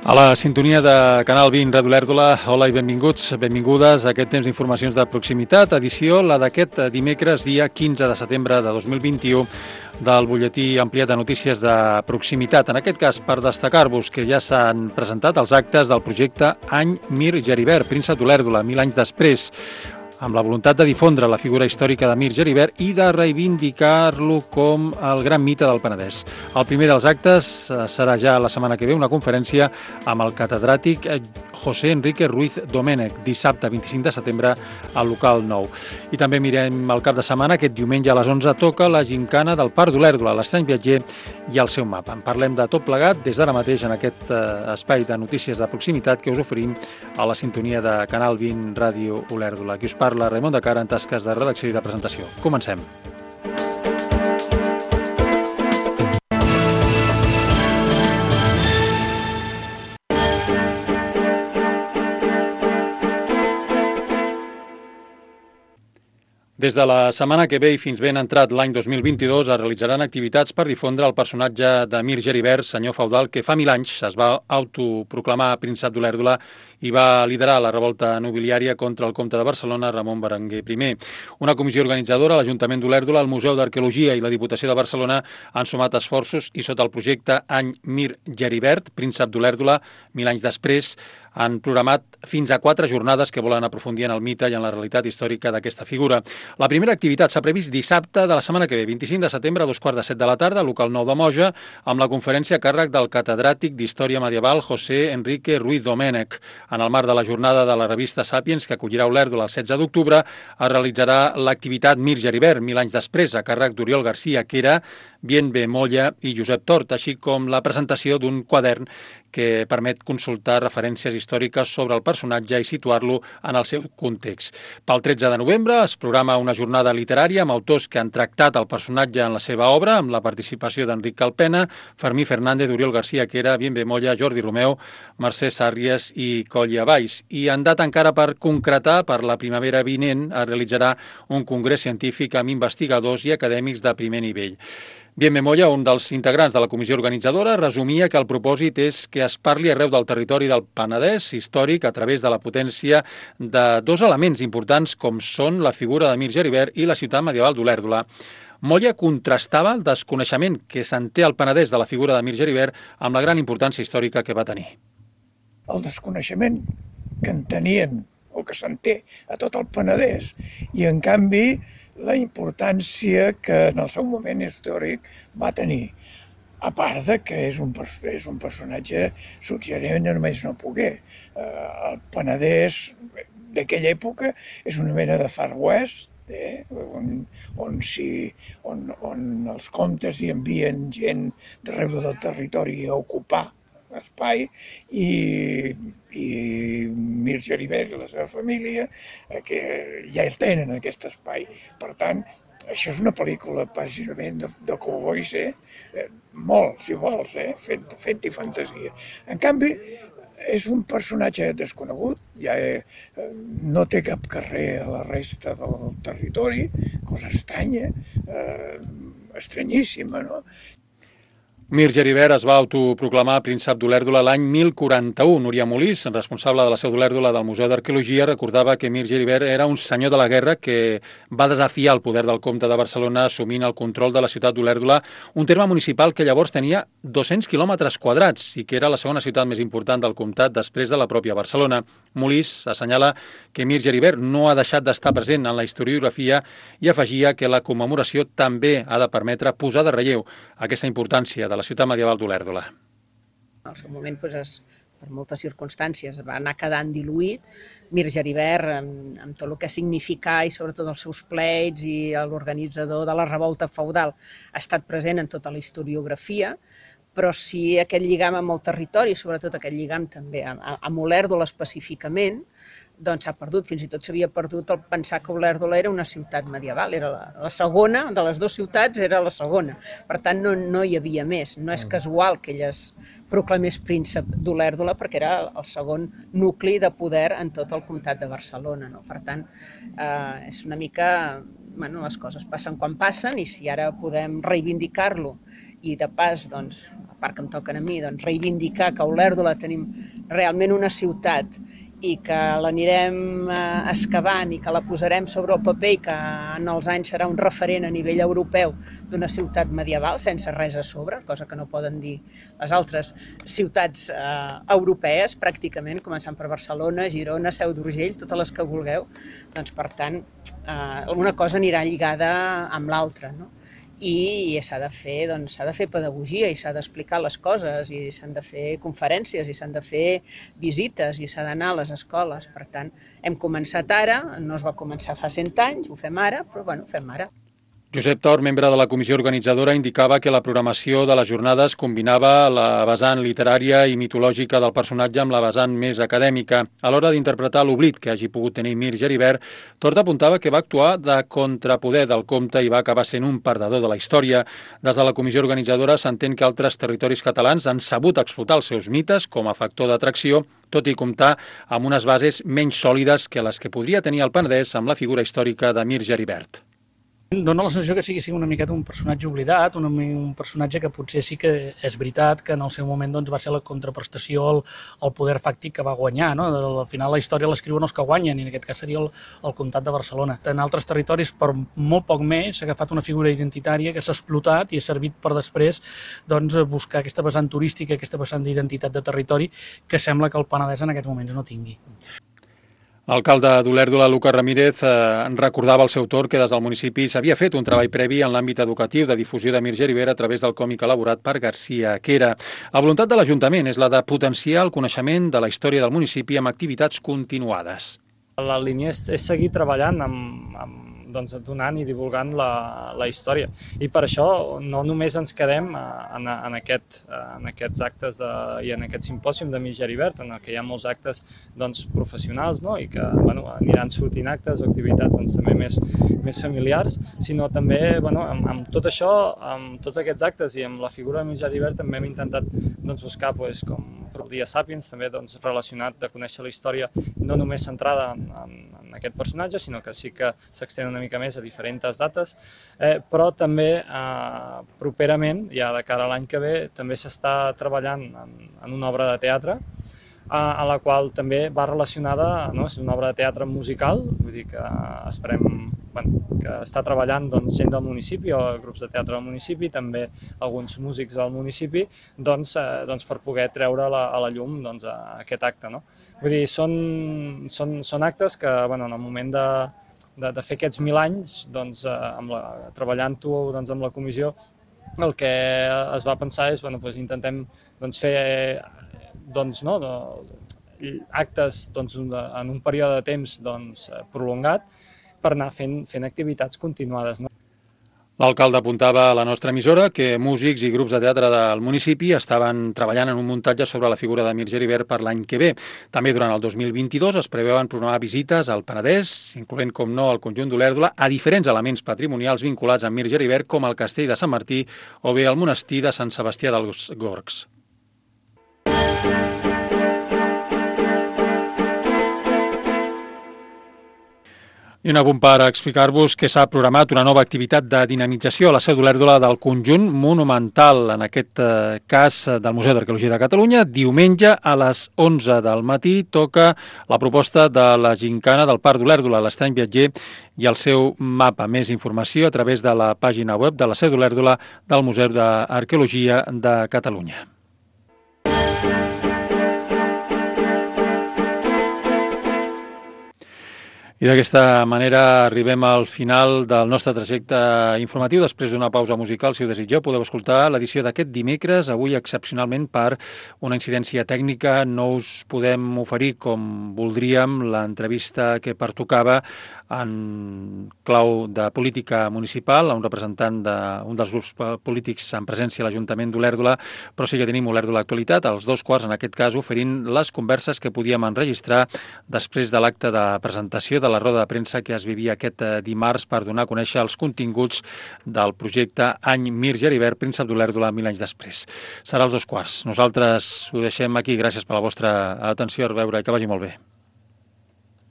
A la sintonia de Canal 20, Ràdio Olèrdola, hola i benvinguts, benvingudes a aquest temps d'informacions de proximitat, edició la d'aquest dimecres, dia 15 de setembre de 2021, del butlletí ampliat de notícies de proximitat. En aquest cas, per destacar-vos que ja s'han presentat els actes del projecte Any Mir Geribert, Príncep d'Olèrdola, 1000 anys després, amb la voluntat de difondre la figura històrica de Mir Geribert i de reivindicar-lo com el gran mite del Penedès. El primer dels actes serà ja la setmana que ve una conferència amb el catedràtic José Enrique Ruiz Domènech, dissabte 25 de setembre al local 9. I també mirem el cap de setmana, aquest diumenge a les 11 toca la gincana del Parc d'Olèrdola, l'Estrany Viatger i el seu mapa. En parlem de tot plegat des d'ara mateix en aquest espai de notícies de proximitat que us oferim a la sintonia de Canal 20 Ràdio Olèrdola. Qui us parla, Raimon de Cara, en tasques de redacció i de presentació. Comencem. Des de la setmana que ve i fins ben entrat l'any 2022 es realitzaran activitats per difondre el personatge de Mir Geribert, senyor feudal, que fa 1000 anys es va autoproclamar príncep d'Olèrdola i va liderar la revolta nobiliària contra el comte de Barcelona, Ramon Berenguer I. Una comissió organitzadora, l'Ajuntament d'Olèrdola, el Museu d'Arqueologia i la Diputació de Barcelona han sumat esforços i sota el projecte Any Mir Geribert, príncep d'Olèrdola, 1000 anys després, han programat fins a 4 jornades que volen aprofundir en el mite i en la realitat històrica d'aquesta figura. La primera activitat s'ha previst dissabte de la setmana que ve, 25 de setembre, a 2:15 de la tarda, local 9 de Moja, amb la conferència a càrrec del catedràtic d'Història Medieval José Enrique Ruiz Domènech. En el marc de la jornada de la revista Sàpiens, que acollirà Olèrdola el 16 d'octubre, es realitzarà l'activitat Mir Geribert, 1000 anys després, a càrrec d'Oriol Garcia, que era Bienve Molla i Josep Tort, així com la presentació d'un quadern que permet consultar referències històriques sobre el personatge i situar-lo en el seu context. Pel 13 de novembre es programa una jornada literària amb autors que han tractat el personatge en la seva obra, amb la participació d'Enric Calpena, Fermí Fernández, Oriol Garcia Quera, Bienve Molla, Jordi Romeu, Mercè Sàrries i Coll Valls. I en data encara per concretar, per la primavera vinent es realitzarà un congrés científic amb investigadors i acadèmics de primer nivell. Bienve Molla, un dels integrants de la comissió organitzadora, resumia que el propòsit és que es parli arreu del territori del Penedès històric a través de la potència de dos elements importants com són la figura de Mir Geribert i la ciutat medieval d'Olèrdola. Molla contrastava el desconeixement que se'n té al Penedès de la figura de Mir Geribert amb la gran importància històrica que va tenir. El desconeixement que en tenien o que se'n té a tot el Penedès i, en canvi, la importància que en el seu moment històric va tenir. A part de que és un personatge suggerent només no poguer. El Penedès d'aquella època és una mena de Far West, on els comtes hi envien gent d'arreu del territori a ocupar espai i Mir Geribert i la seva família que ja el tenen aquest espai. Per tant, això és una pel·lícula bàsicament de cowboys, molt, si vols, fent-hi fantasia. En canvi, és un personatge desconegut, ja no té cap carrer a la resta del territori, cosa estranya, estranyíssima, no? Mir Geribert es va autoproclamar príncep d'Olèrdola l'any 1041. Núria Molís, responsable de la seu d'Olèrdola del Museu d'Arqueologia, recordava que Mir Geribert era un senyor de la guerra que va desafiar el poder del comte de Barcelona assumint el control de la ciutat d'Olèrdola, un terme municipal que llavors tenia 200 quilòmetres quadrats i que era la segona ciutat més important del comtat després de la pròpia Barcelona. Molís assenyala que Mir Geribert no ha deixat d'estar present en la historiografia i afegia que la commemoració també ha de permetre posar de relleu aquesta importància de la ciutat medieval d'Olèrdola. En el seu moment, per moltes circumstàncies, va anar quedant diluït. Mir Geribert, amb tot el que significa i sobretot els seus pleits i l'organitzador de la revolta feudal, ha estat present en tota la historiografia, però sí aquest lligam amb el territori, sobretot aquest lligam també amb Olèrdola específicament, doncs s'ha perdut, fins i tot s'havia perdut el pensar que Olèrdola era una ciutat medieval, era la segona, de les dues ciutats era la segona, per tant no hi havia més, no és casual que ell es proclamés príncep d'Olèrdola perquè era el segon nucli de poder en tot el comtat de Barcelona, no? Per tant, és una mica, les coses passen quan passen i si ara podem reivindicar-lo i de pas, doncs, part que em toquen a mi, doncs reivindicar que a Olèrdola tenim realment una ciutat i que l'anirem excavant i que la posarem sobre el paper i que en els anys serà un referent a nivell europeu d'una ciutat medieval sense res a sobre, cosa que no poden dir les altres ciutats europees, pràcticament, començant per Barcelona, Girona, Seu d'Urgell, totes les que vulgueu. Doncs, per tant, alguna cosa anirà lligada amb l'altra, no? I s'ha de fer pedagogia i s'ha d'explicar les coses i s'han de fer conferències i s'han de fer visites i s'ha d'anar a les escoles. Per tant, hem començat ara, no es va començar fa 100 anys, ho fem ara, però bueno, ho fem ara. Josep Tor, membre de la comissió organitzadora, indicava que la programació de les jornades combinava la vessant literària i mitològica del personatge amb la vessant més acadèmica. A l'hora d'interpretar l'oblit que hagi pogut tenir Mir Geribert, Tort apuntava que va actuar de contrapoder del conte i va acabar sent un perdedor de la història. Des de la comissió organitzadora s'entén que altres territoris catalans han sabut explotar els seus mites com a factor d'atracció, tot i comptar amb unes bases menys sòlides que les que podria tenir el Penedès amb la figura històrica de Mir Geribert. Dóna la sensació que sigui una miqueta un personatge oblidat, un personatge que potser sí que és veritat que en el seu moment doncs, va ser la contraprestació al poder fàctic que va guanyar. No? Al final la història l'escriuen els que guanyen, i en aquest cas seria el comtat de Barcelona. En altres territoris, per molt poc més, s'ha agafat una figura identitària que s'ha explotat i ha servit per després doncs, buscar aquesta vessant turística, aquesta vessant d'identitat de territori que sembla que el Penedès en aquests moments no tingui. L'alcalde d'Olèrdola, Lucas Ramírez, recordava al seu torn que des del municipi s'havia fet un treball previ en l'àmbit educatiu de difusió de Mir Geribert a través del còmic elaborat per García Quera. La voluntat de l'Ajuntament és la de potenciar el coneixement de la història del municipi amb activitats continuades. La línia és seguir treballant donant i divulgant la història. I per això no només ens quedem en aquests actes i en aquest simpòsium de Mir Geribert, en què hi ha molts actes professionals, no? I que aniran sortint actes o activitats també més familiars, sinó també amb tot això, amb tots aquests actes i amb la figura de Mir Geribert també hem intentat buscar com el Dia Sàpiens, també relacionat de conèixer la història no només centrada en aquest personatge, sinó que sí que s'extén una mica més a diferents dates, però també properament, ja de cara a l'any que ve, també s'està treballant en una obra de teatre a la qual també va relacionada, no? És una obra de teatre musical, vull dir que esperem que està treballant gent del municipi o grups de teatre del municipi, també alguns músics del municipi, per poder treure a la llum aquest acte. No? Vull dir, són actes que en el moment de fer aquests 1000 anys, treballant-ho amb la comissió, el que es va pensar és, intentem fer actes en un període de temps prolongat per anar fent activitats continuades. L'alcalde apuntava a la nostra emissora que músics i grups de teatre del municipi estaven treballant en un muntatge sobre la figura de Mir Geribert per l'any que ve. També durant el 2022 es preveuen programar visites al Penedès, incloent, com no, el conjunt d'Olèrdola, a diferents elements patrimonials vinculats amb Mir Geribert, com el castell de Sant Martí o bé el monestir de Sant Sebastià dels Gorgs. I un apunt per explicar-vos que s'ha programat una nova activitat de dinamització a la Seu d'Olèrdola del conjunt monumental, en aquest cas del Museu d'Arqueologia de Catalunya. Diumenge a les 11 del matí toca la proposta de la gincana del Parc d'Olèrdola, l'Estrany Viatger i el seu mapa. Més informació a través de la pàgina web de la Seu d'Olèrdola del Museu d'Arqueologia de Catalunya. I d'aquesta manera arribem al final del nostre trajecte informatiu. Després d'una pausa musical, si ho desitgeu, podeu escoltar l'edició d'aquest dimecres. Avui, excepcionalment, per una incidència tècnica, no us podem oferir com voldríem l'entrevista que pertocava en clau de política municipal a un representant d'un dels grups polítics en presència a l'Ajuntament d'Olèrdola, però sí que tenim Olèrdola Actualitat, als 2:15, en aquest cas, oferint les converses que podíem enregistrar després de l'acte de presentació de la roda de premsa que es vivia aquest dimarts per donar a conèixer els continguts del projecte Any Mir Geribert, Príncep d'Olèrdola 1000 anys després. Serà als 2:15. Nosaltres ho deixem aquí. Gràcies per la vostra atenció. A veure, que vagi molt bé.